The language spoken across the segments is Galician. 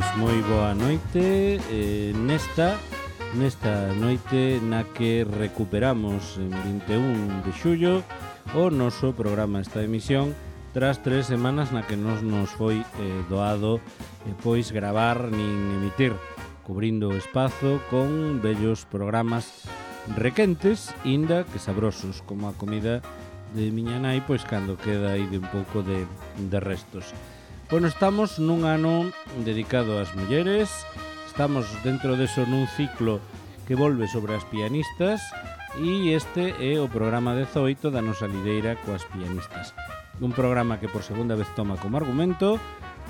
pois moi boa noite nesta noite na que recuperamos en 21 de xullo o noso programa, esta emisión, tras 3 semanas na que nos foi doado pois gravar nin emitir, cubrindo o espazo con bellos programas requentes, inda que sabrosos, como a comida de miña nai, pois cando queda aí de un pouco de restos. Bueno, estamos nun ano dedicado ás mulleres, estamos dentro deso nun ciclo que volve sobre as pianistas e este é o programa 18 da nosa lideira coas pianistas. Un programa que por segunda vez toma como argumento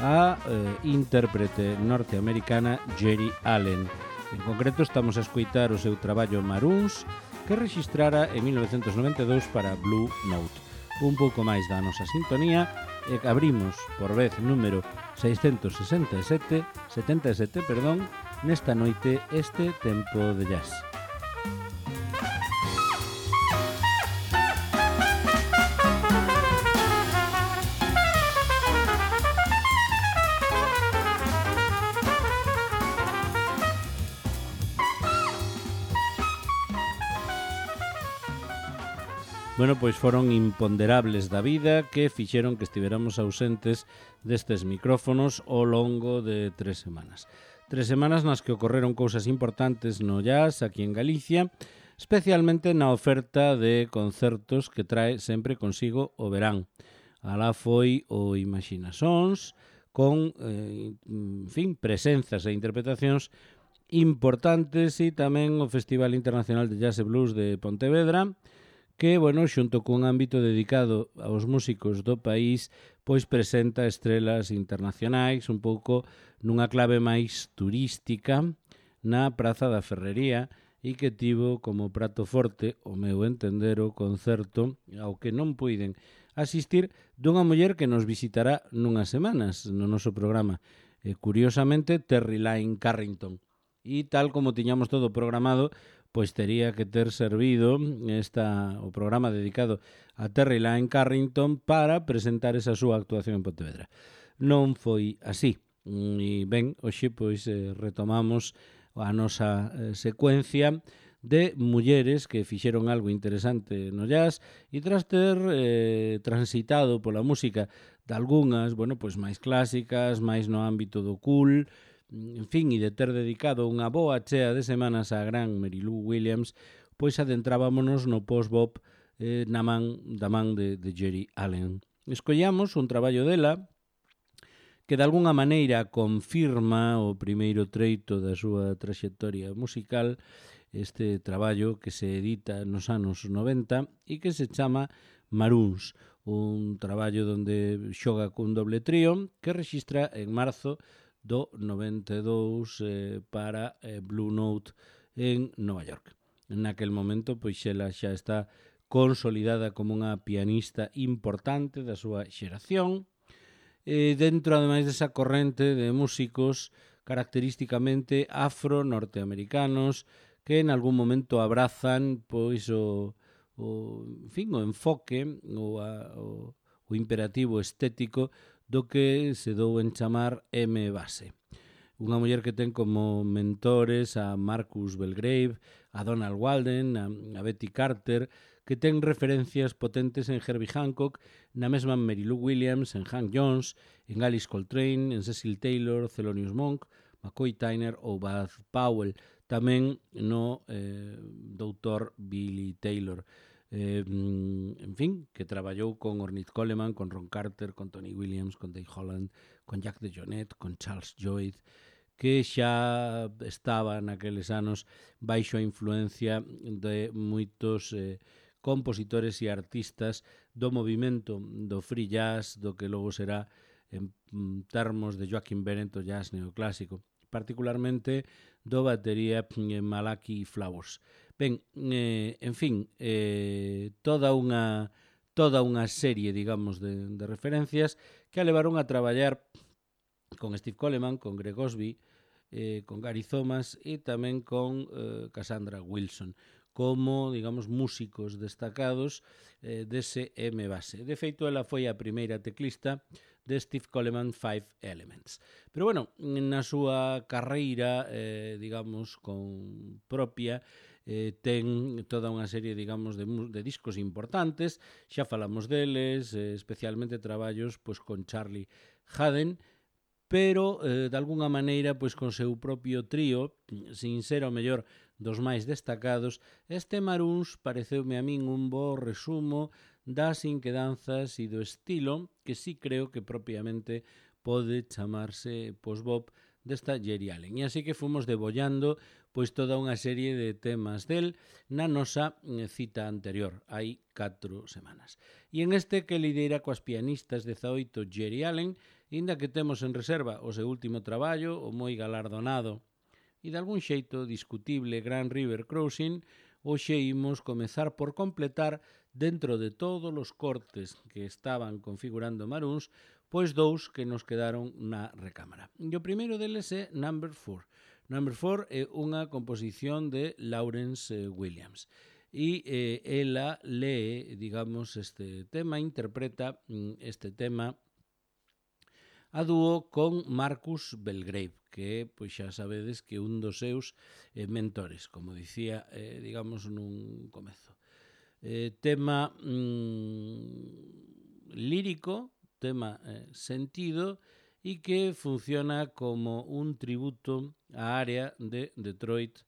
a intérprete norteamericana Geri Allen. En concreto estamos a escoitar o seu traballo Maroons, que rexistrara en 1992 para Blue Note. Un pouco máis da nosa sintonía e abrimos por vez número 677, nesta noite este tempo de jazz. Bueno, pois foron imponderables da vida que fixeron que estiveramos ausentes destes micrófonos ao longo de 3 semanas. 3 semanas nas que ocorreron cousas importantes no jazz aquí en Galicia, especialmente na oferta de concertos que trae sempre consigo o verán. Alá foi o Imagina Sons, con, presenzas e interpretacións importantes, e tamén o Festival Internacional de Jazz e Blues de Pontevedra, que, bueno, xunto cun ámbito dedicado aos músicos do país, pois presenta estrelas internacionais un pouco nunha clave máis turística na Praza da Ferrería e que tivo como prato forte, o meu entender, o concerto ao que non puiden asistir dunha muller que nos visitará nunhas semanas no noso programa. Curiosamente, Terry Lyne Carrington. E tal como tiñamos todo programado, pois tería que ter servido o programa dedicado a Terry Lyne Carrington para presentar esa súa actuación en Pontevedra. Non foi así. E ben, hoxe pois retomamos a nosa secuencia de mulleres que fixeron algo interesante no jazz e tras ter transitado pola música de algunhas, bueno, pois máis clásicas, máis no ámbito do cool, en fin, e de ter dedicado unha boa chea de semanas á gran Mary Lou Williams, pois adentrábamonos no post-bop da man de Geri Allen. Escollamos un traballo dela que de algunha maneira confirma o primeiro treito da súa traxectoria musical, este traballo que se edita nos anos 90 e que se chama Maroons, un traballo onde xoga cun doble trío que rexistra en marzo do 92 para Blue Note en Nova York. En aquel momento, pois ela xa está consolidada como unha pianista importante da súa xeración, dentro, ademais, desa corrente de músicos característicamente afro-norteamericanos que en algún momento abrazan pois o enfoque o imperativo estético do que se dou en chamar M-Base. Unha muller que ten como mentores a Marcus Belgrave, a Donald Walden, a Betty Carter, que ten referencias potentes en Herbie Hancock, na mesma Mary Lou Williams, en Hank Jones, en Alice Coltrane, en Cecil Taylor, Thelonious Monk, McCoy Tyner ou Bud Powell, tamén no doutor Billy Taylor. En fin, que traballou con Ornette Coleman, con Ron Carter, con Tony Williams, con Dave Holland, con Jack DeJohnette, con Charles Lloyd, que xa estaba naqueles anos baixo a influencia de moitos compositores e artistas do movimento do free jazz, do que logo será en termos de Joaquin Bennett o jazz neoclásico, particularmente do batería Malachi Flowers. Ben, en fin, toda unha serie, digamos, de referencias que a levaron a traballar con Steve Coleman, con Greg Osby, con Gary Thomas e tamén con Cassandra Wilson. como, digamos, músicos destacados dese M-Base. De feito, ela foi a primeira teclista de Steve Coleman Five Elements. Pero, bueno, na súa carreira, digamos, con propia, ten toda unha serie, digamos, de discos importantes. Xa falamos deles, especialmente traballos pois, con Charlie Haden, pero, de alguna maneira, pois, con seu propio trío, sin ser ao mellor dos máis destacados, este Maroons pareceume a min un bo resumo das inquedanzas e do estilo que sí creo que propiamente pode chamarse post-bop desta Geri Allen. E así que fomos debollando pois toda unha serie de temas del na nosa cita anterior, hai 4 semanas. E en este que lidera coas pianistas 18 Geri Allen, inda que temos en reserva o seu último traballo, o moi galardonado e de algún xeito discutible Grand River Crossing, hoxe imos comezar por completar dentro de todos os cortes que estaban configurando Maroons, pois 2 que nos quedaron na recámara. E o primeiro deles é Number 4. Number 4 é unha composición de Lawrence Williams. E ela lee, digamos, este tema, interpreta este tema a dúo con Marcus Belgrave, que pois xa sabedes que un dos seus mentores, como dicía, digamos, nun comezo. Tema lírico, tema sentido, e que funciona como un tributo á área de Detroit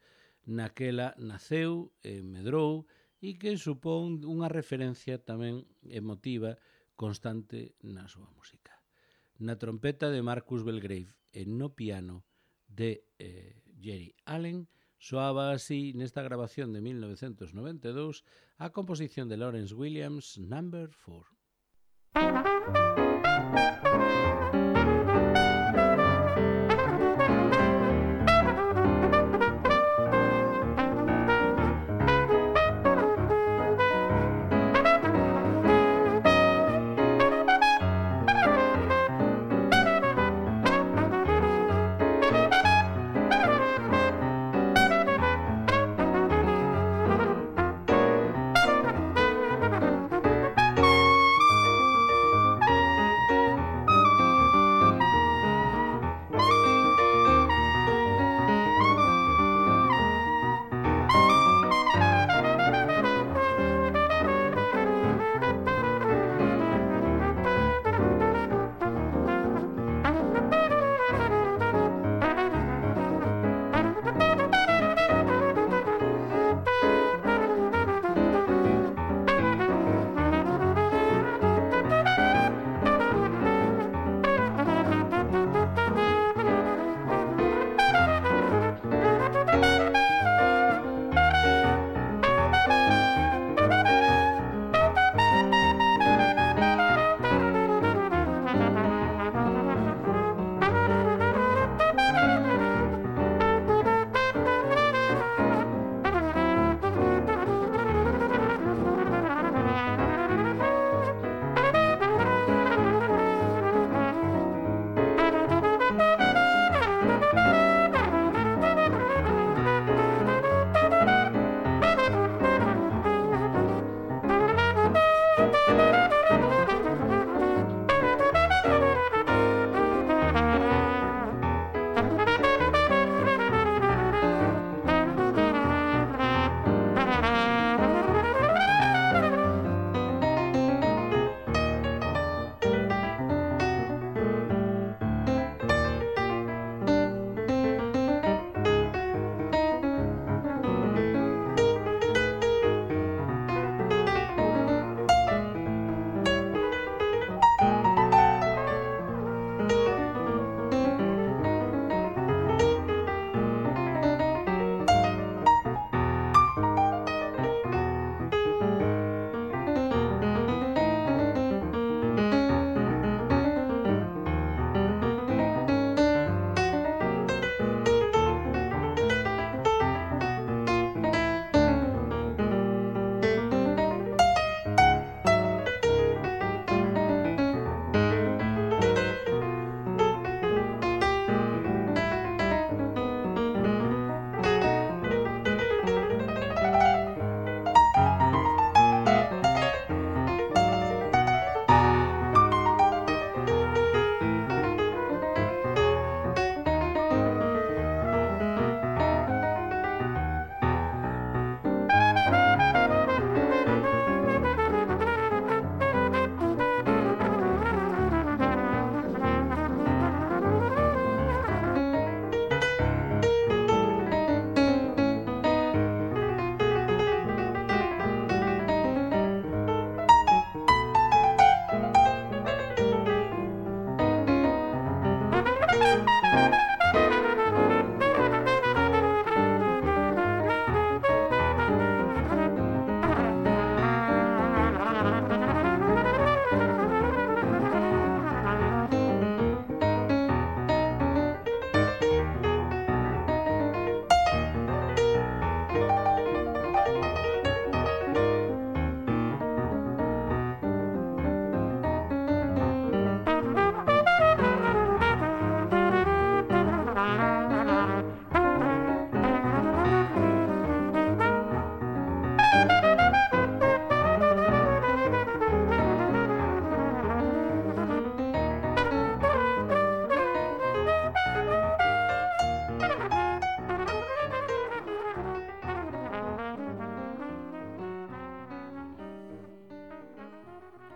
naquela naceu e medrou e que supón unha referencia tamén emotiva constante na súa música. Na trompeta de Marcus Belgrave e no piano de Geri Allen soaba así nesta grabación de 1992 a composición de Lawrence Williams, Number 4.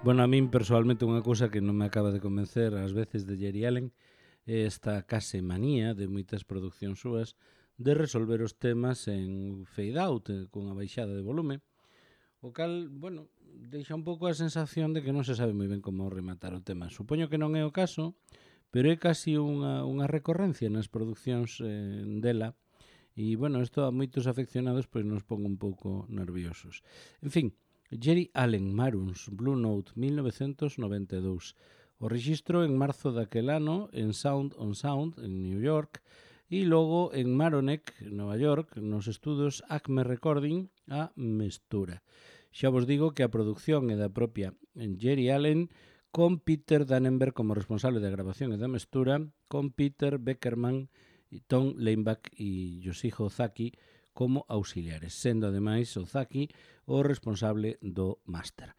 Bueno, a min personalmente unha cousa que non me acaba de convencer ás veces de Geri Allen é esta case manía de moitas producións súas de resolver os temas en fade out, cunha baixada de volume, o cal, bueno, deixa un pouco a sensación de que non se sabe moi ben como rematar o tema. Supoño que non é o caso, pero é casi unha recorrencia nas producións dela, e, bueno, isto a moitos afeccionados pois nos pon un pouco nerviosos. En fin, Geri Allen, Maroons, Blue Note, 1992. O rexistro en marzo daquel ano en Sound on Sound, en New York, e logo en Maroneck, Nova York, nos estudos Acme Recording, a mestura. Xa vos digo que a produción é da propia Geri Allen, con Peter Dannenberg como responsable da grabación e da mestura, con Peter Beckerman, Tom Leinbach e Yoshihiko Ozaki como auxiliares, sendo ademais Ozaki o responsable do máster.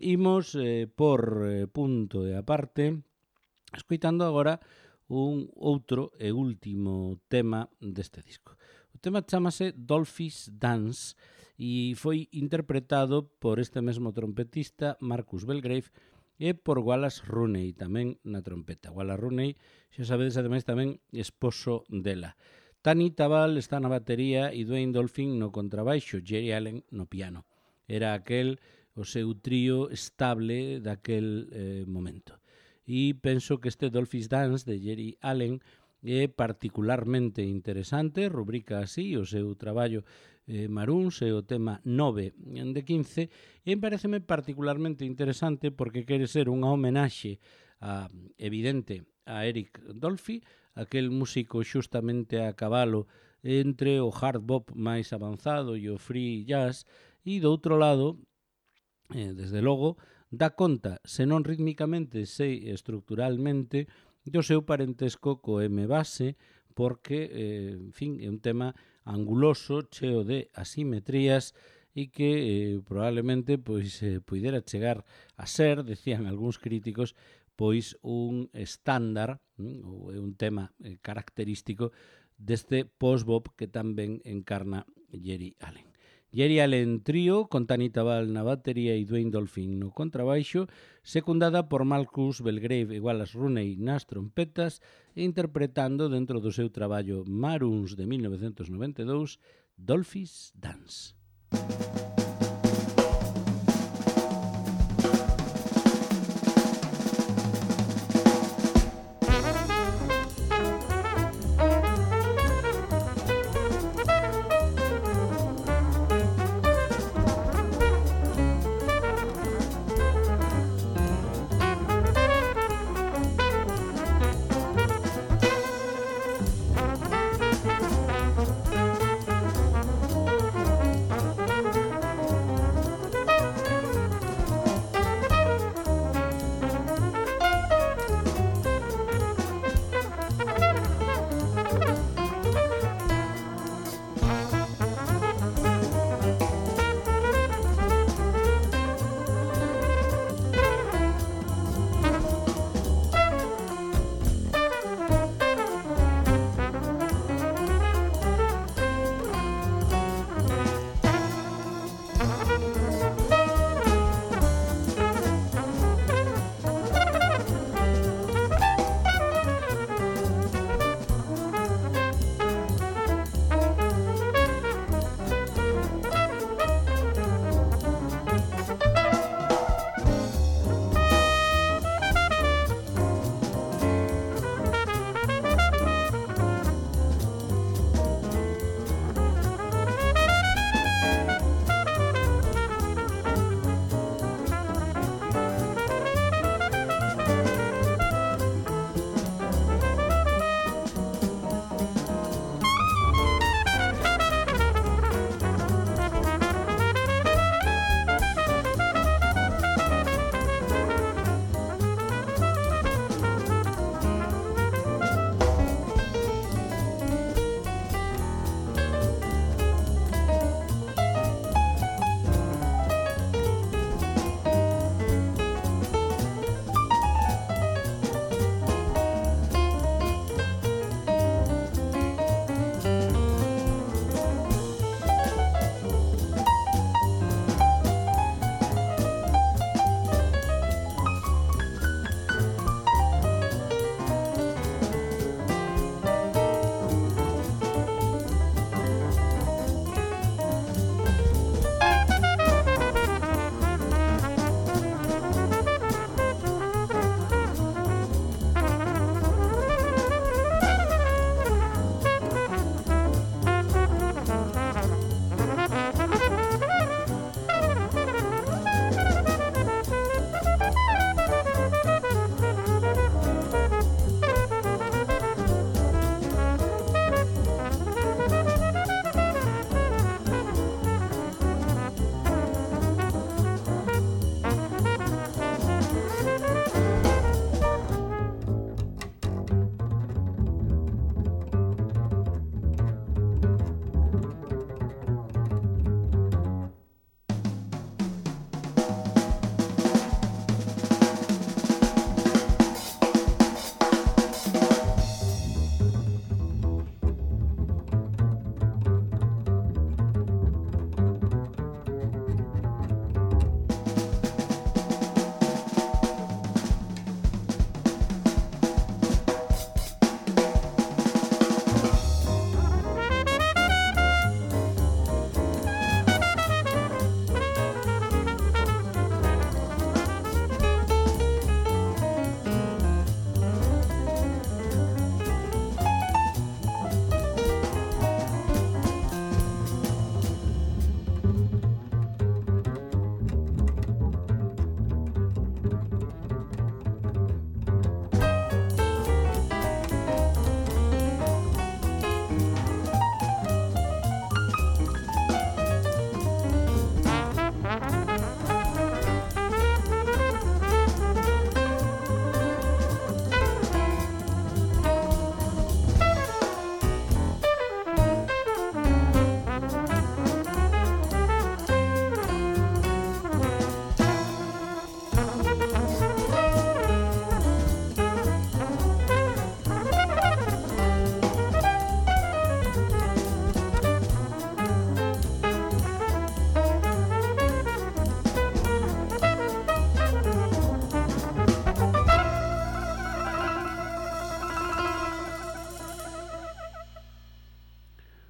Imos por punto e aparte, escoitando agora un outro e último tema deste disco. O tema chamase Dolphy's Dance e foi interpretado por este mesmo trompetista Marcus Belgrave e por Wallace Rooney tamén na trompeta. Wallace Rooney, xa sabedes, ademais tamén esposo dela. Tani Tabal está na batería e Dwayne Dolphin no contrabaixo, Geri Allen no piano. Era aquel o seu trío estable daquel momento. E penso que este Dolphy's Dance de Geri Allen é particularmente interesante, rubrica así o seu traballo Maroons e o tema 9 de 15, e pareceme particularmente interesante porque quere ser unha homenaxe evidente a Eric Dolphy, aquel músico xustamente a cabalo entre o hard bop máis avanzado e o free jazz, e do outro lado, desde logo, dá conta, senón rítmicamente, sei estructuralmente, do seu parentesco co M-base, porque, en fin, é un tema anguloso, cheo de asimetrías, e que probablemente pois puidera chegar a ser, decían algúns críticos, pois un estándar, ou é un tema característico deste post-bop que tamén encarna Geri Allen. Geri Allen trío, con Tani Tabal na batería e Dwayne Dolphin no contrabaixo, secundada por Marcus Belgrave e Wallace Rooney nas trompetas, e interpretando dentro do seu traballo Maroons de 1992, Dolphy's Dance.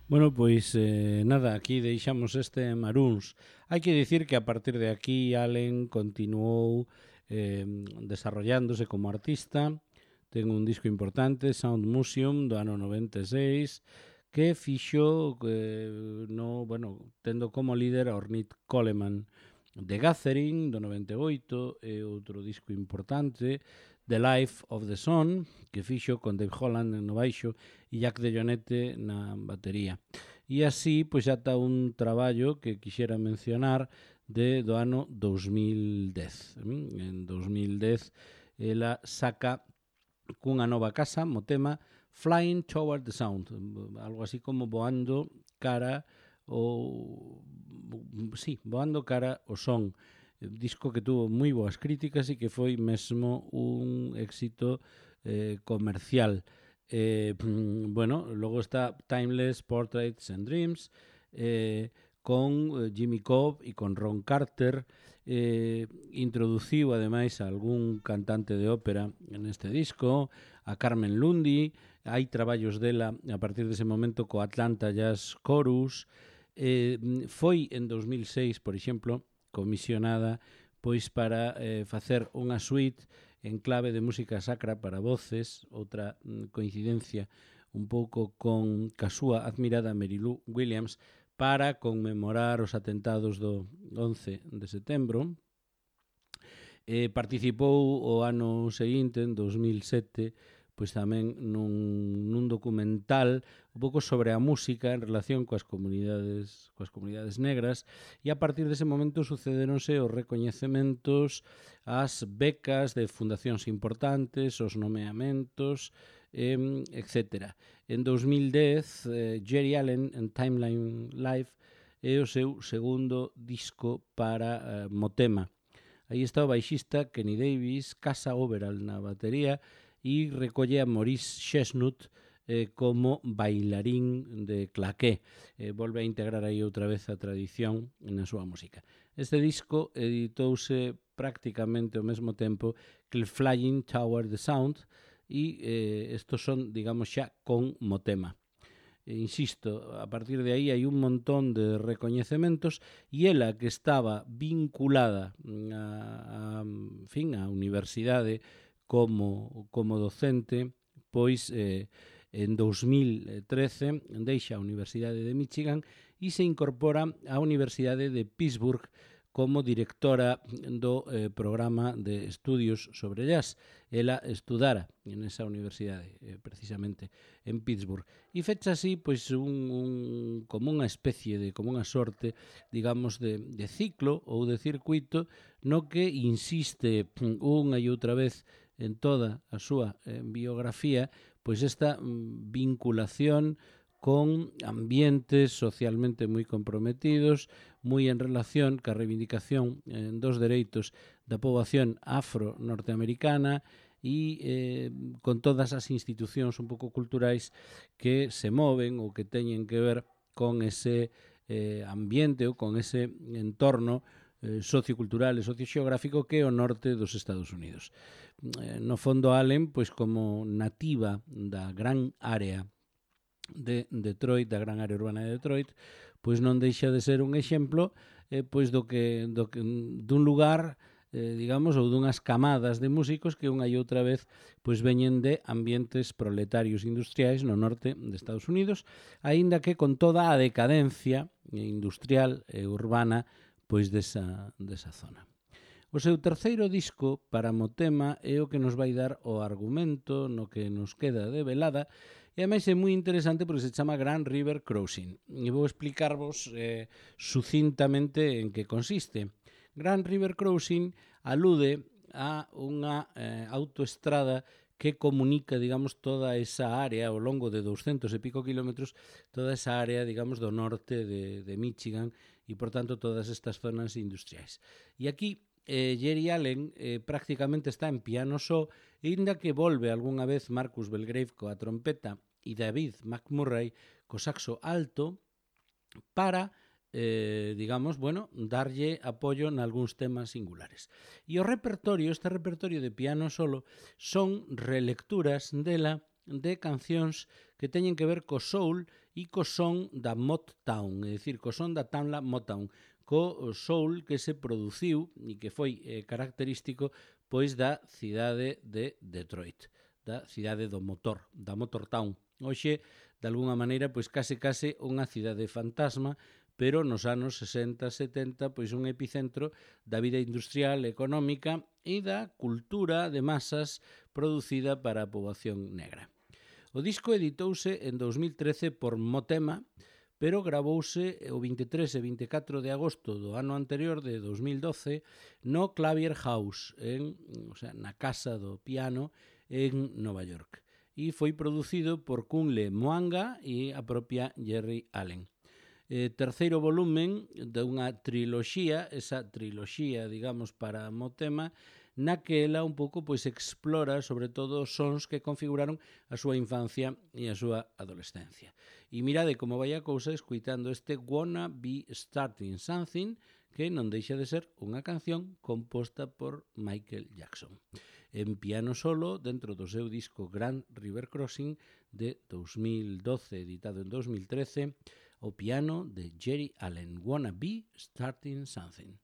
Bueno, pois nada, aquí deixamos este Maroons. Hai que dicir que a partir de aquí Allen continuou desarrollándose como artista. Ten un disco importante, Sound Museum, do ano 96, que fixo tendo como líder a Ornette Coleman. The Gathering, do 98, e outro disco importante, The Life of the Sun, que fixo con Dave Holland no baixo e Jack DeJohnette na batería. E así, pois, ata un traballo que quixera mencionar do ano 2010. En 2010, ela saca cunha nova casa, mo tema Flying Toward the Sound, algo así como voando cara o son. Disco que tuvo moi boas críticas e que foi mesmo un éxito comercial. Logo está Timeless, Portraits and Dreams, con Jimmy Cobb e con Ron Carter. Introduciu ademais a algún cantante de ópera neste disco, a Carmen Lundy. Hai traballos dela a partir dese momento co Atlanta Jazz Chorus. Foi en 2006, por exemplo, comisionada pois para facer unha suite en clave de música sacra para voces, outra coincidencia un pouco con a súa admirada Mary Lou Williams, para conmemorar os atentados do 11 de setembro. Participou o ano seguinte, en 2007, pois tamén nun documental un pouco sobre a música en relación coas comunidades negras, e a partir dese momento sucederonse os recoñecementos, as becas de fundacións importantes, os nomeamentos, etc. En 2010, Jerry Allen en Timeline Live é o seu segundo disco para Motema. Aí está o baixista Kenny Davis, Casa Overall na batería, e recolle a Maurice Chestnut como bailarín de claqué. Volve a integrar aí outra vez a tradición na súa música. Este disco editouse prácticamente ao mesmo tempo que el Flying Toward the Sound, e estos son, digamos, xa con Motema. Insisto, a partir de aí hai un montón de recoñecementos, e ela, que estaba vinculada a universidade como docente, pois en 2013 deixa a Universidade de Michigan e se incorpora á Universidade de Pittsburgh como directora do programa de estudios sobre jazz. Ela estudara en esa universidade, precisamente en Pittsburgh. E fecha así pois como unha especie como unha sorte, digamos, de ciclo ou de circuito no que insiste unha e outra vez en toda a súa biografía, pois esta vinculación con ambientes socialmente moi comprometidos, moi en relación ca reivindicación dos dereitos da poboación afro-norteamericana e con todas as institucións un pouco culturais que se moven ou que teñen que ver con ese ambiente ou con ese entorno sociocultural e socioxeográfico que é o norte dos Estados Unidos. No fondo, Allen, pois como nativa da gran área de Detroit, da gran área urbana de Detroit, pois non deixa de ser un exemplo pois dun lugar, digamos, ou dunhas camadas de músicos que unha e outra vez pois veñen de ambientes proletarios industriais no norte de Estados Unidos, aínda que con toda a decadencia industrial e urbana pois desa zona. O seu terceiro disco para Motema é o que nos vai dar o argumento no que nos queda de velada, e ademais é moi interesante porque se chama Grand River Crossing. E vou explicarvos sucintamente en que consiste. Grand River Crossing alude a unha autoestrada que comunica, digamos, toda esa área ao longo de 200 e pico kilómetros, toda esa área, digamos, do norte de Michigan e, por tanto, todas estas zonas industriais. E aquí Jerry Allen prácticamente está en piano só, e inda que volve algunha vez Marcus Belgrave coa trompeta e David McMurray co saxo alto para digamos, darlle apoio nalgúns temas singulares. E este repertorio de piano solo son relecturas dela de cancións que teñen que ver co soul e co son da Motown, é dicir, co son da Tamla Motown, co soul que se produciu e que foi característico pois da cidade de Detroit, da cidade do motor, da Motortown. Hoxe, de alguna maneira, pois case unha cidade fantasma, pero nos anos 60, 70, pois un epicentro da vida industrial, económica e da cultura de masas producida para a poboación negra. O disco editouse en 2013 por Motema, pero gravouse o 23 e 24 de agosto do ano anterior, de 2012, no Clavier House, na Casa do Piano, en Nova York. E foi producido por Kunle Mwanga e a propia Jerry Allen. Terceiro volumen dunha triloxía, esa triloxía, digamos, para Motema, na que ela un pouco pois explora sobre todo os sons que configuraron a súa infancia e a súa adolescencia. E mirade como vai a cousa escuitando este Wanna Be Starting Something, que non deixa de ser unha canción composta por Michael Jackson. En piano solo, dentro do seu disco Grand River Crossing de 2012, editado en 2013, o piano de Jerry Allen, Wanna Be Starting Something.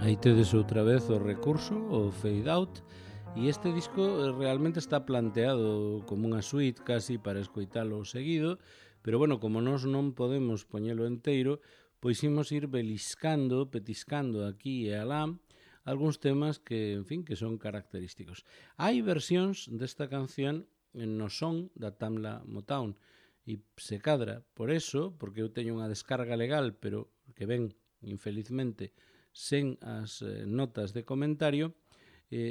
Aí tedes outra vez o recurso, o fade out, e este disco realmente está planteado como unha suite casi para escoitalo seguido, pero bueno, como nós non podemos poñelo enteiro, pois imos ir beliscando, petiscando aquí e alá algúns temas que, en fin, que son característicos. Hai versións desta canción no son da Tamla Motown e se cadra por eso, porque eu teño unha descarga legal, pero que ven, infelizmente, sen as notas de comentario,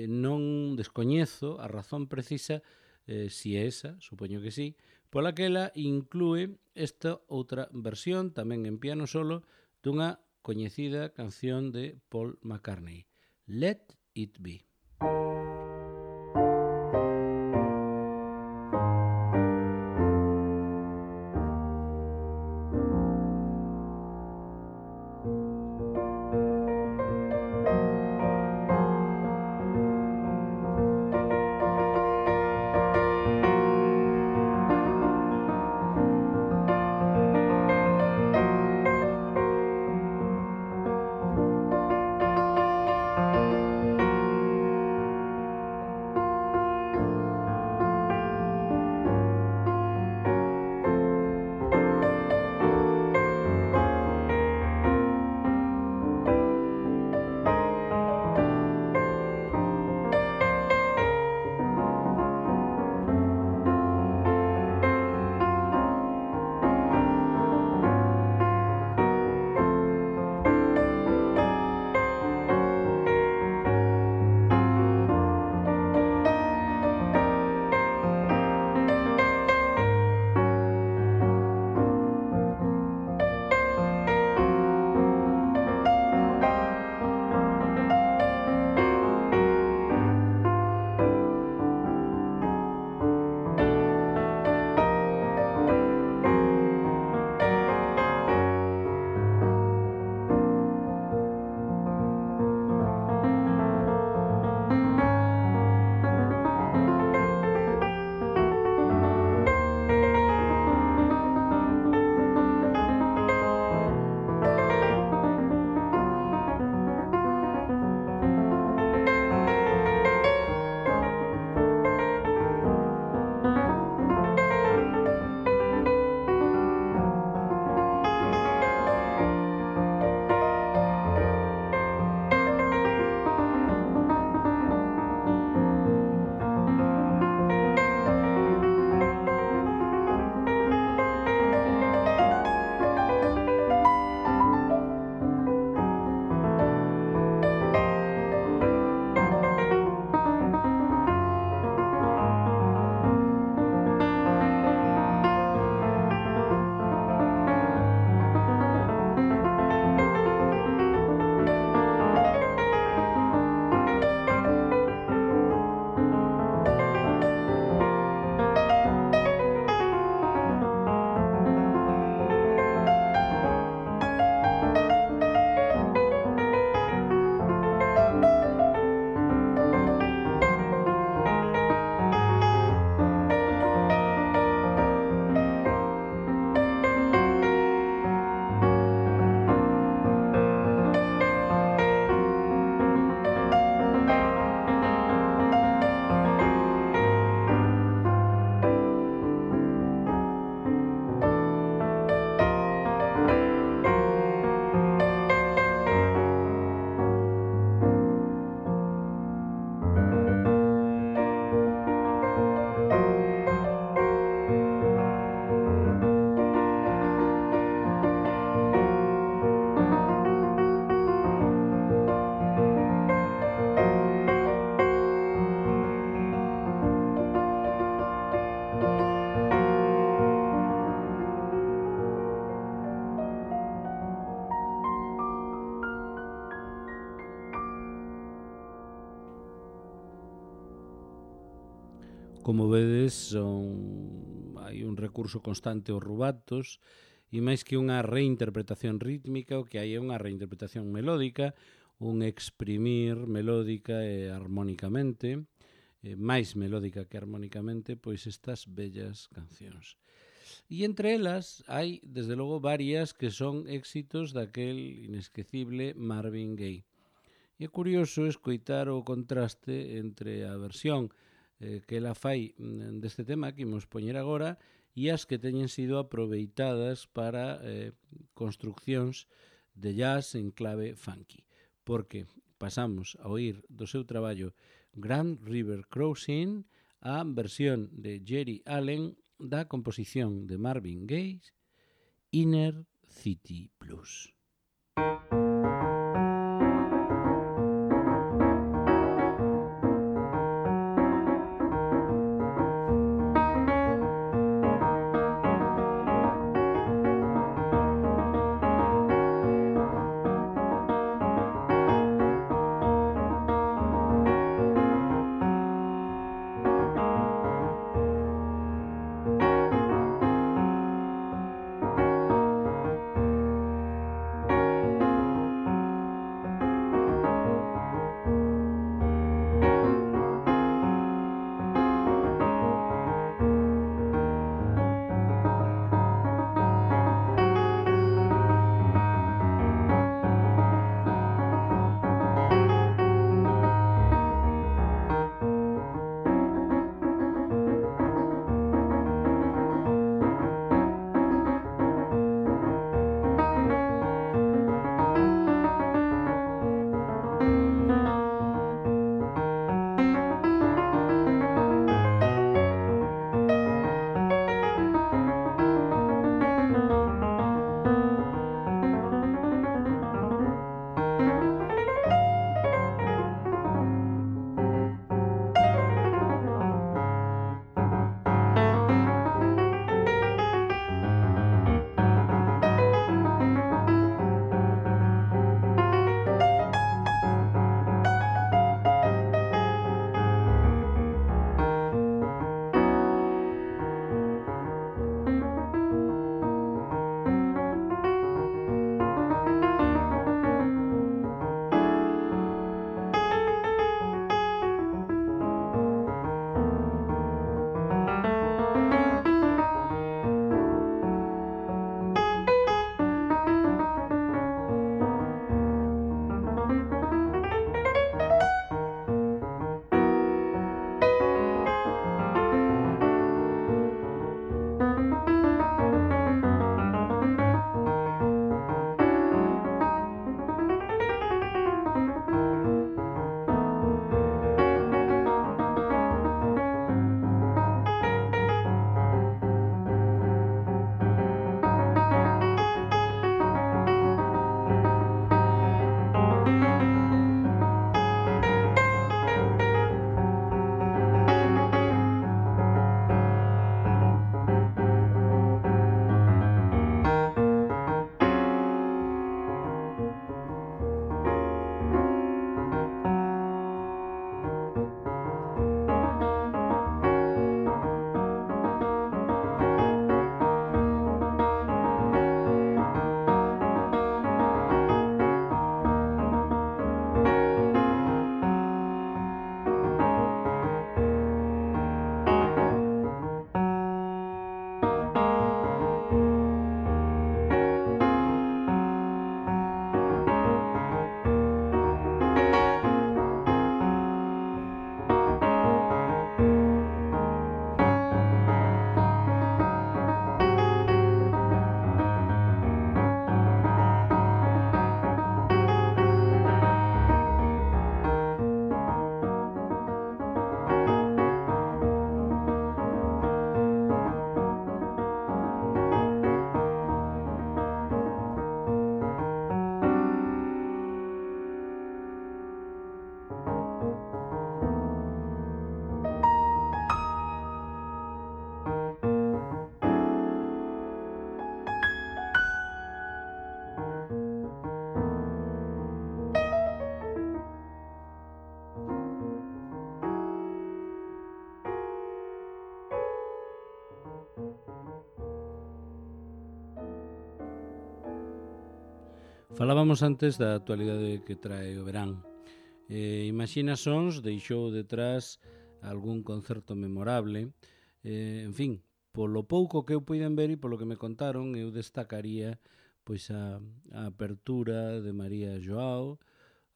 non descoñezo a razón precisa, si é esa, supoño que sí, pola que ela inclúe esta outra versión, tamén en piano solo, dunha coñecida canción de Paul McCartney, Let It Be. Como vedes, hai un recurso constante aos rubatos, e máis que unha reinterpretación rítmica, o que hai é unha reinterpretación melódica, un exprimir melódica e armónicamente, máis melódica que armónicamente, pois estas bellas cancións. E entre elas hai, desde logo, varias que son éxitos daquel inesquecible Marvin Gaye. E é curioso escoitar o contraste entre a versión que ela fai deste tema que imos poñer agora e as que teñen sido aproveitadas para construccións de jazz en clave funky. Porque pasamos a oír do seu traballo Grand River Crossing a versión de Jerry Allen da composición de Marvin Gaye Inner City Blues. Falábamos antes da actualidade que trae o verán. Imaxina Sons deixou detrás algún concerto memorable. En fin, polo pouco que eu puiden ver e polo que me contaron, eu destacaría pois a apertura de María Joao,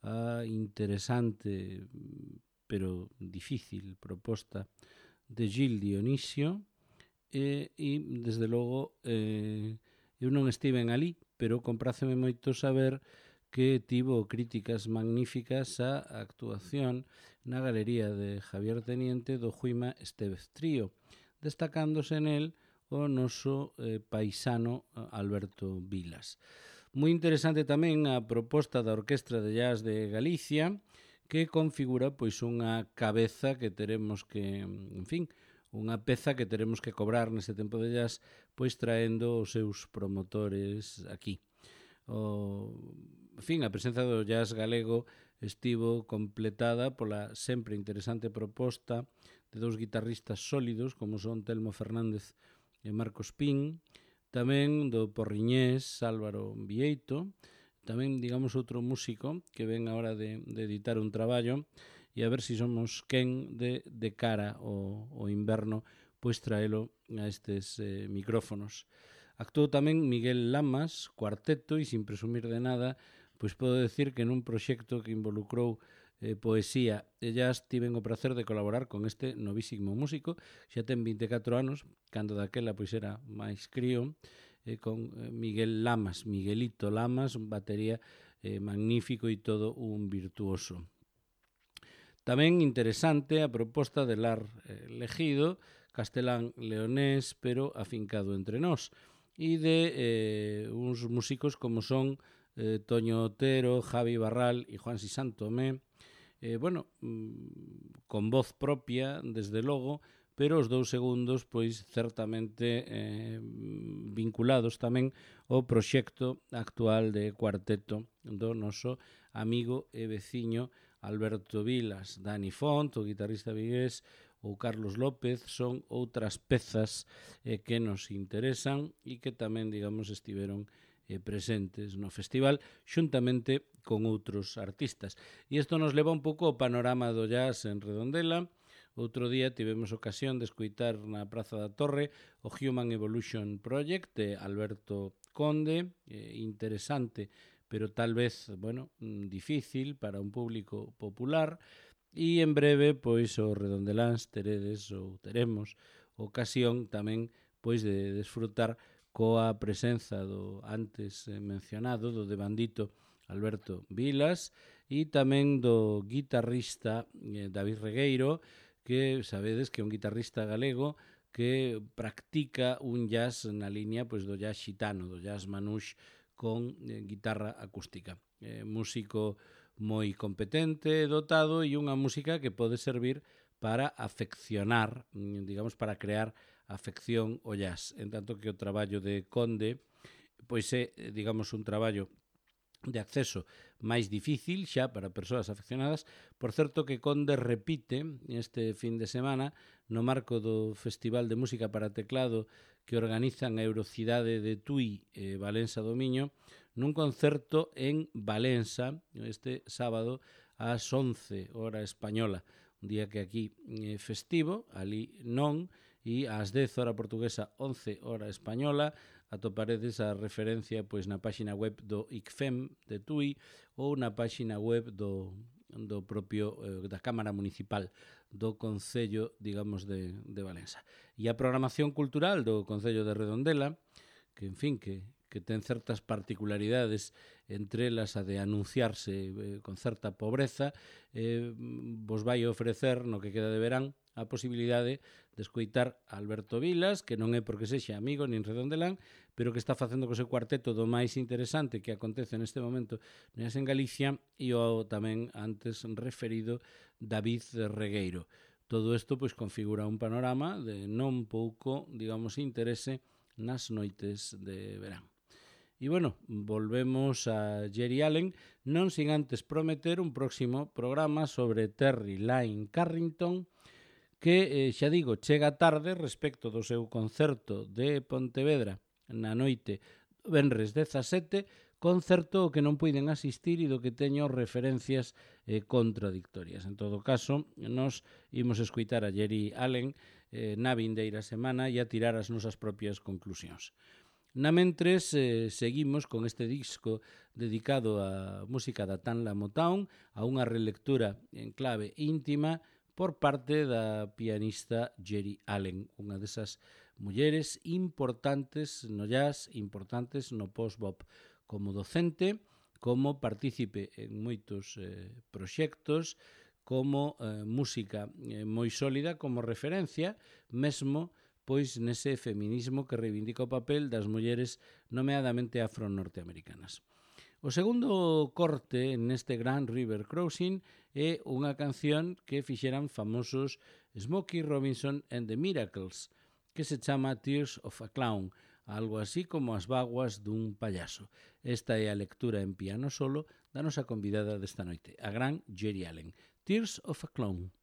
a interesante pero difícil proposta de Gil Dionisio e desde logo eu non estiven ali, pero compráceme moito saber que tivo críticas magníficas a actuación na galería de Javier Teniente do Juima Estévez Trío, destacándose nel o noso paisano Alberto Vilas. Moi interesante tamén a proposta da Orquestra de Jazz de Galicia, que configura pois unha cabeza que teremos que, en fin, unha peza que teremos que cobrar neste tempo de jazz, pois traendo os seus promotores aquí. En fin, a presenza do jazz galego estivo completada pola sempre interesante proposta de dous guitarristas sólidos como son Telmo Fernández e Marcos Pín, tamén do porriñés Álvaro Vieito, tamén, digamos, outro músico que ven a hora de editar un traballo e a ver se somos quen de cara ao inverno pois traelo a estes micrófonos. Actuou tamén Miguel Lamas, cuarteto, e sin presumir de nada, pois podo decir que nun proxecto que involucrou poesía e jazz tiven o placer de colaborar con este novísimo músico, xa ten 24 anos, cando daquela pois era máis crío, con Miguel Lamas, Miguelito Lamas, batería magnífico e todo un virtuoso. Tamén interesante a proposta de Lar Legido, castelán leonés, pero afincado entre nós, e de uns músicos como son Toño Otero, Javi Barral e Juan Sisantomé, con voz propia, desde logo, pero os dous segundos, pois, certamente vinculados tamén ao proxecto actual de cuarteto do noso amigo e veciño Alberto Vilas. Dani Font, o guitarrista vigués, ou Carlos López, son outras pezas que nos interesan e que tamén, digamos, estiveron presentes no festival xuntamente con outros artistas. E isto nos leva un pouco ao panorama do jazz en Redondela. Outro día tivemos ocasión de escoitar na Praza da Torre o Human Evolution Project de Alberto Conde, interesante, pero tal vez, difícil para un público popular, e en breve, pois, os redondeláns teremos ocasión tamén, pois, de desfrutar coa presenza do antes mencionado, do devandito Alberto Vilas, e tamén do guitarrista David Regueiro, que sabedes que é un guitarrista galego que practica un jazz na línea pois, do jazz xitano, do jazz manouche con guitarra acústica. Músico moi competente, dotado, e unha música que pode servir para afeccionar, digamos, para crear afección ao jazz, en tanto que o traballo de Conde pois é, digamos, un traballo de acceso máis difícil xa para persoas afeccionadas. Por certo que Conde repite este fin de semana no marco do Festival de Música para Teclado que organizan a Eurocidade de Tui e Valença do Miño nun concerto en Valença este sábado ás 11 hora española, un día que aquí é festivo, ali non, e ás 10 hora portuguesa, 11 hora española, atoparedes a referencia pois na páxina web do ICFEM de Tui ou na páxina web do propio da Cámara Municipal do Concello, digamos, de Valença. E a programación cultural do Concello de Redondela, que, en fin, que ten certas particularidades, entre elas a de anunciarse con certa pobreza, vos vai ofrecer, no que queda de verán, a posibilidade de escoitar a Alberto Vilas, que non é porque sexa amigo nin redondelán, pero que está facendo co seu cuarteto do máis interesante que acontece neste momento en Galicia, e o tamén antes referido David Regueiro. Todo isto pois configura un panorama de non pouco, digamos, interese nas noites de verán. E, volvemos a Jerry Allen, non sin antes prometer un próximo programa sobre Terry Lyne Carrington, que, xa digo, chega tarde respecto do seu concerto de Pontevedra na noite venres 17, concerto que non puiden asistir e do que teño referencias contradictorias. En todo caso, nos imos escuitar a Geri Allen na vindeira semana e a tirar as nosas propias conclusións. Na mentres, seguimos con este disco dedicado á música da Tanla Motown, a unha relectura en clave íntima por parte da pianista Geri Allen, unha desas mulleres importantes no jazz, importantes no post-bop, como docente, como partícipe en moitos proxectos, como música moi sólida, como referencia, mesmo pois nese feminismo que reivindica o papel das mulleres nomeadamente afro-norteamericanas. O segundo corte neste Grand River Crossing é unha canción que fixeran famosos Smokey Robinson and the Miracles, que se chama Tears of a Clown, algo así como as vaguas dun payaso. Esta é a lectura en piano solo da nosa convidada desta noite, a gran Geri Allen. Tears of a Clown.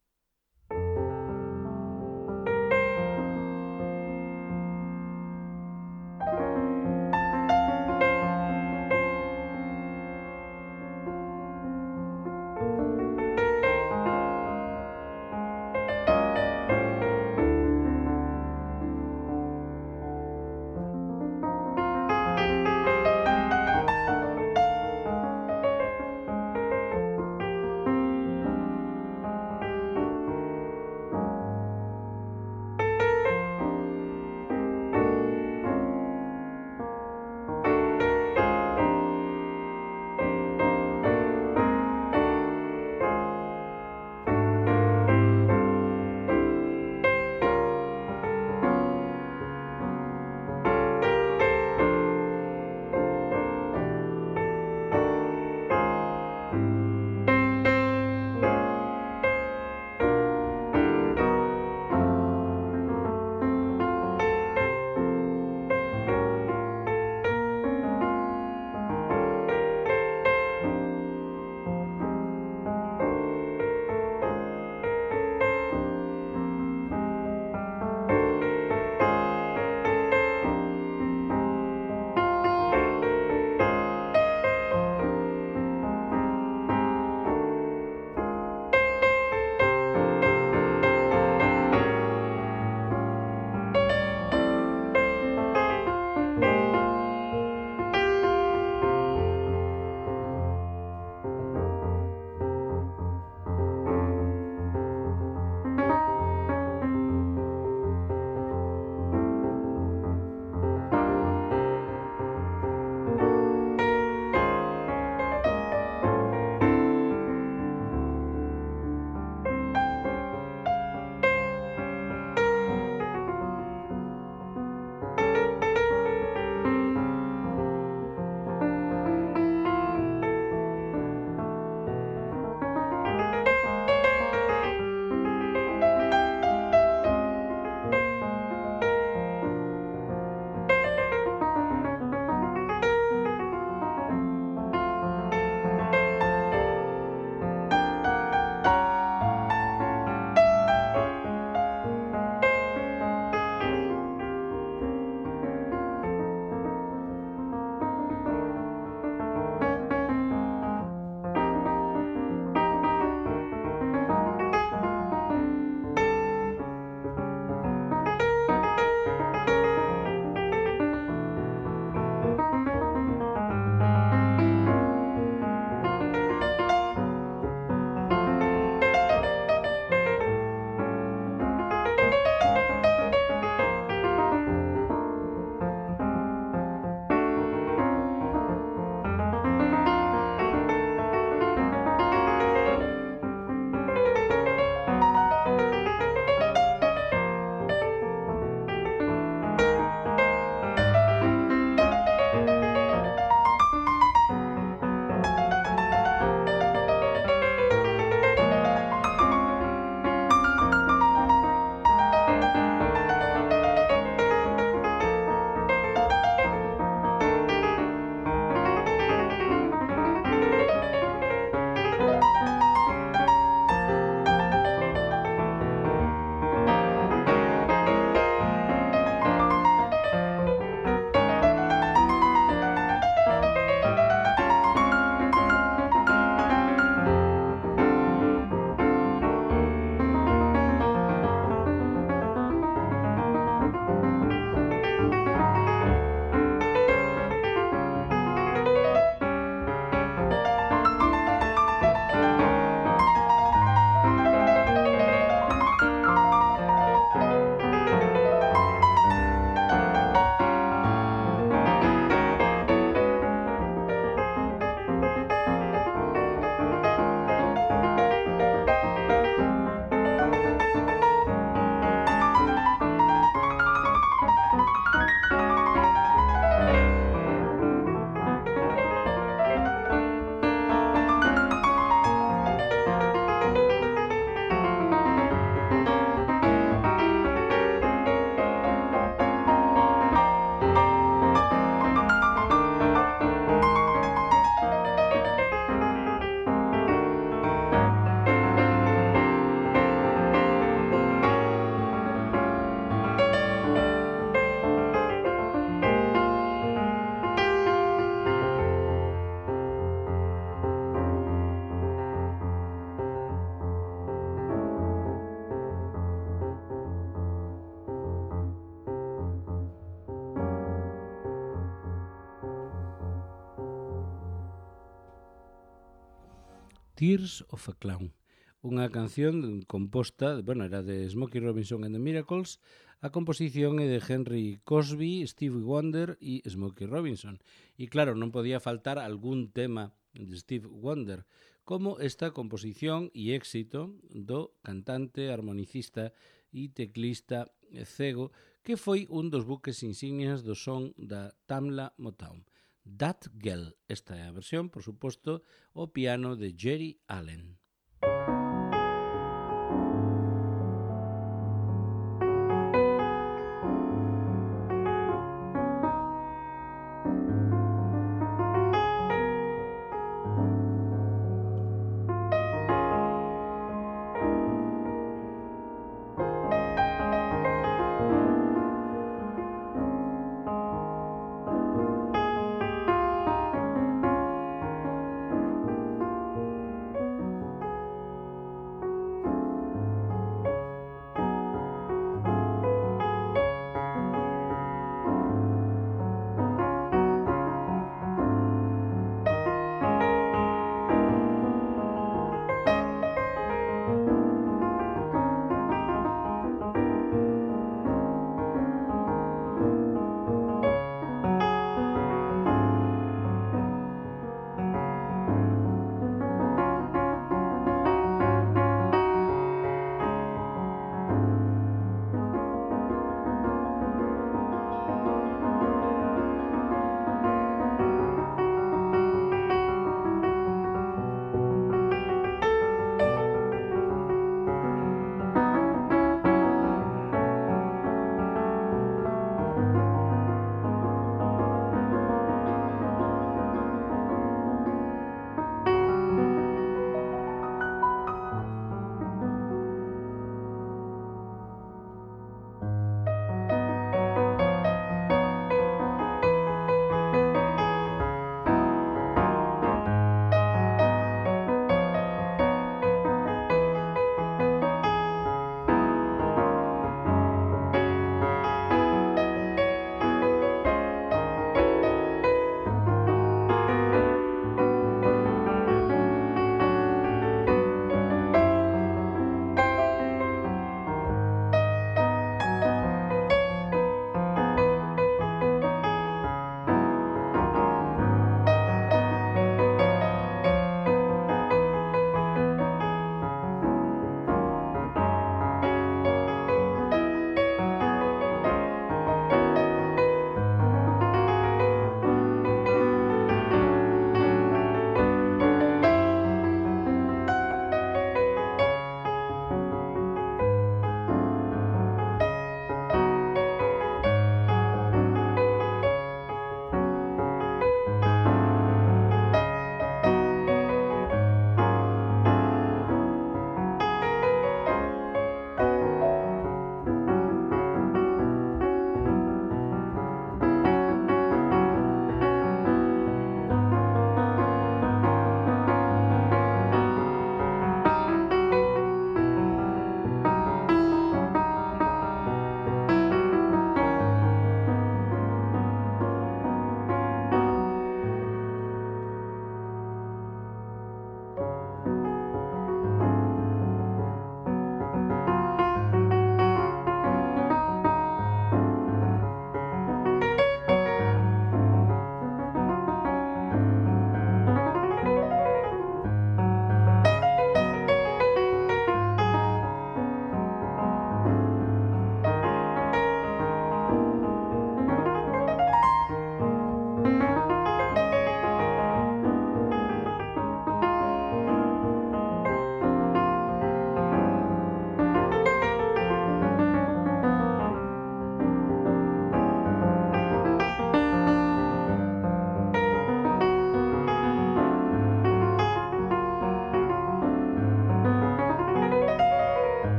Tears of a Clown, unha canción composta, bueno, era de Smokey Robinson and the Miracles, a composición é de Henry Cosby, Stevie Wonder e Smokey Robinson. E claro, non podía faltar algún tema de Steve Wonder, como esta composición e éxito do cantante, armonicista e teclista cego, que foi un dos buques insignias do son da Tamla Motown. That Girl. Esta é a versión, por suposto, o piano de Jerry Allen.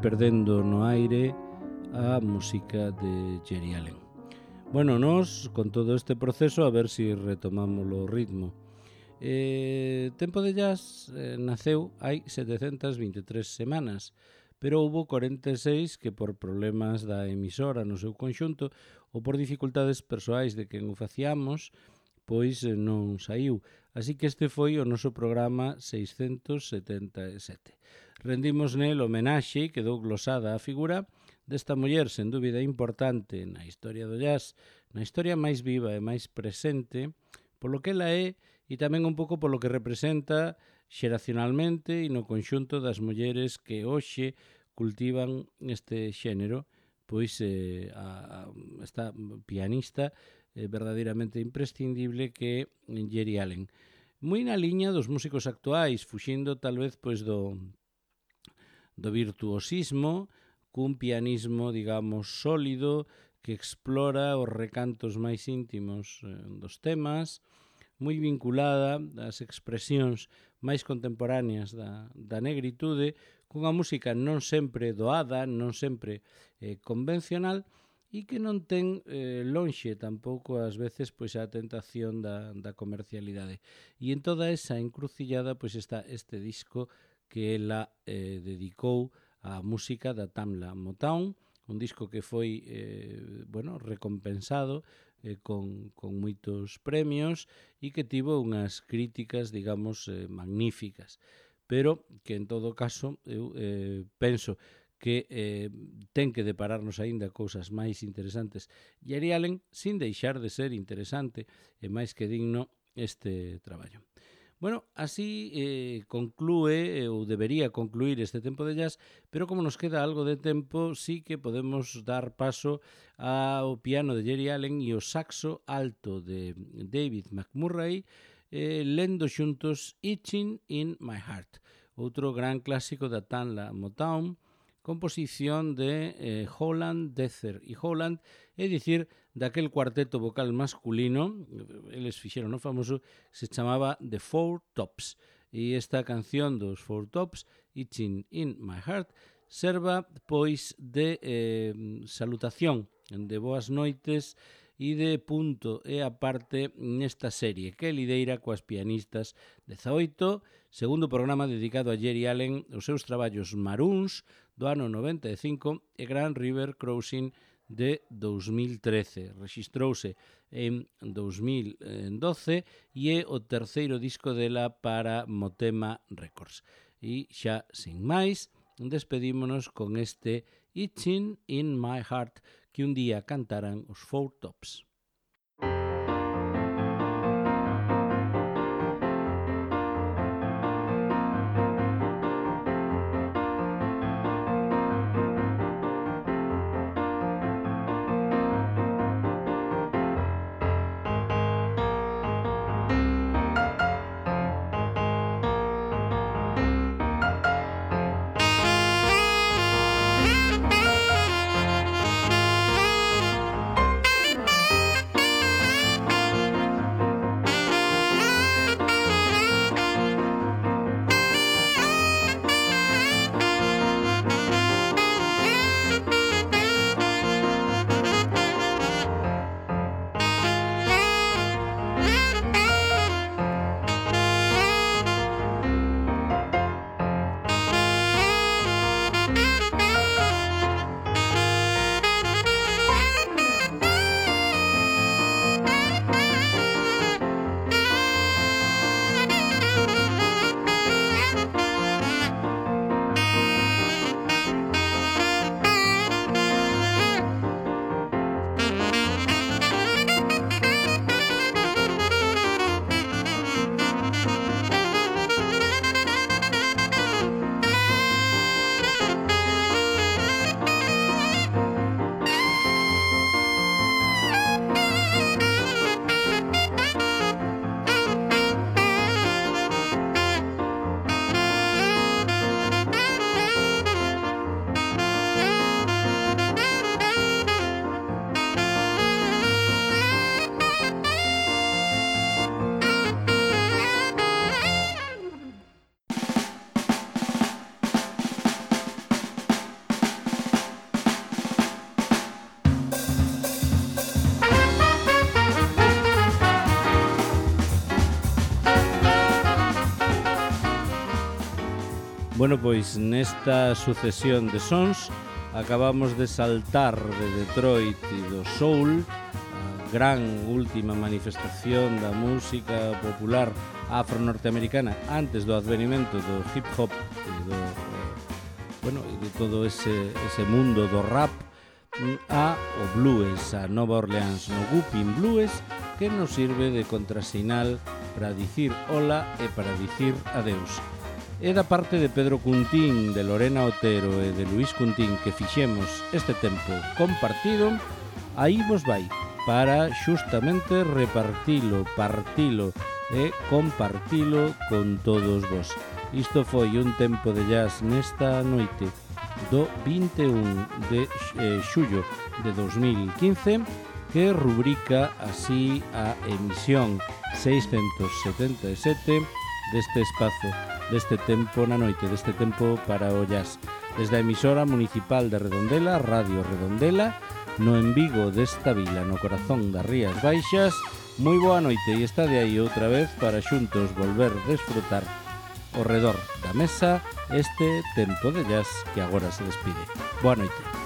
perdendo no aire a música de Geri Allen. Bueno, nos, con todo este proceso, a ver si retomamos o ritmo. Tempo de Jazz naceu hai 723 semanas, pero houbo 46 que por problemas da emisora no seu conxunto ou por dificultades persoais de quen o facíamos, pois non saiu. Así que este foi o noso programa 677. Rendimos nel homenaxe e quedou glosada a figura desta muller sen dúbida importante na historia do jazz, na historia máis viva e máis presente, polo que ela é e tamén un pouco polo que representa xeracionalmente e no conxunto das mulleres que hoxe cultivan este xénero, pois esta pianista verdadeiramente imprescindible que é Geri Allen. Moi na liña dos músicos actuais, fuxindo tal vez pois do virtuosismo, cun pianismo, digamos, sólido, que explora os recantos máis íntimos dos temas, moi vinculada ás expresións máis contemporáneas da negritude, cunha música non sempre doada, non sempre convencional, e que non ten lonxe tampouco ás veces pois a tentación da comercialidade. E en toda esa encrucillada pois está este disco que ela dedicou á música da Tamla Motown, un disco que foi recompensado con moitos premios e que tivo unhas críticas, digamos, magníficas, pero que en todo caso eu penso que ten que depararnos aínda cousas máis interesantes. Geri Allen, sin deixar de ser interesante e máis que digno este traballo. Bueno, así conclúe, ou debería concluir este tempo de jazz, pero como nos queda algo de tempo, sí que podemos dar paso ao piano de Geri Allen e o saxo alto de David McMurray, lendo xuntos Itching in My Heart, outro gran clásico da Tamla Motown, composición de Holland, Deather e Holland, é dicir, daquel cuarteto vocal masculino, eles fixeron o famoso, se chamaba The Four Tops, e esta canción dos Four Tops, Itching in My Heart, serva pois de salutación, de boas noites e de punto e aparte nesta serie que lideira coas pianistas 18, segundo programa dedicado a Geri Allen, os seus traballos Maroons do ano 95 e Grand River Crossing de 2013. Rexistrouse en 2012 e é o terceiro disco dela para Motema Records. E xa, sin máis, despedímonos con este Itching in My Heart que un día cantaran os Four Tops. Bueno, pois nesta sucesión de sons acabamos de saltar de Detroit e do soul, a gran última manifestación da música popular afro-norteamericana antes do advenimento do hip-hop e de todo ese mundo do rap, a o blues, a Nova Orleans, no Whooping Blues, que nos sirve de contrasinal para dicir hola e para dicir adeus. É da parte de Pedro Cuntín, de Lorena Otero e de Luís Cuntín que fixemos este tempo compartido. Aí vos vai, para xustamente repartilo, partilo e compartilo con todos vos. Isto foi un tempo de jazz nesta noite do 21 de xullo de 2015, que rubrica así a emisión 677 deste espazo, deste tempo na noite, deste tempo para o jazz. Desde a emisora municipal de Redondela, Radio Redondela, no en Vigo desta vila, no corazón das Rías Baixas. Moi boa noite e está de aí outra vez para xuntos volver desfrutar ao redor da mesa este tempo de jazz que agora se despide. Boa noite.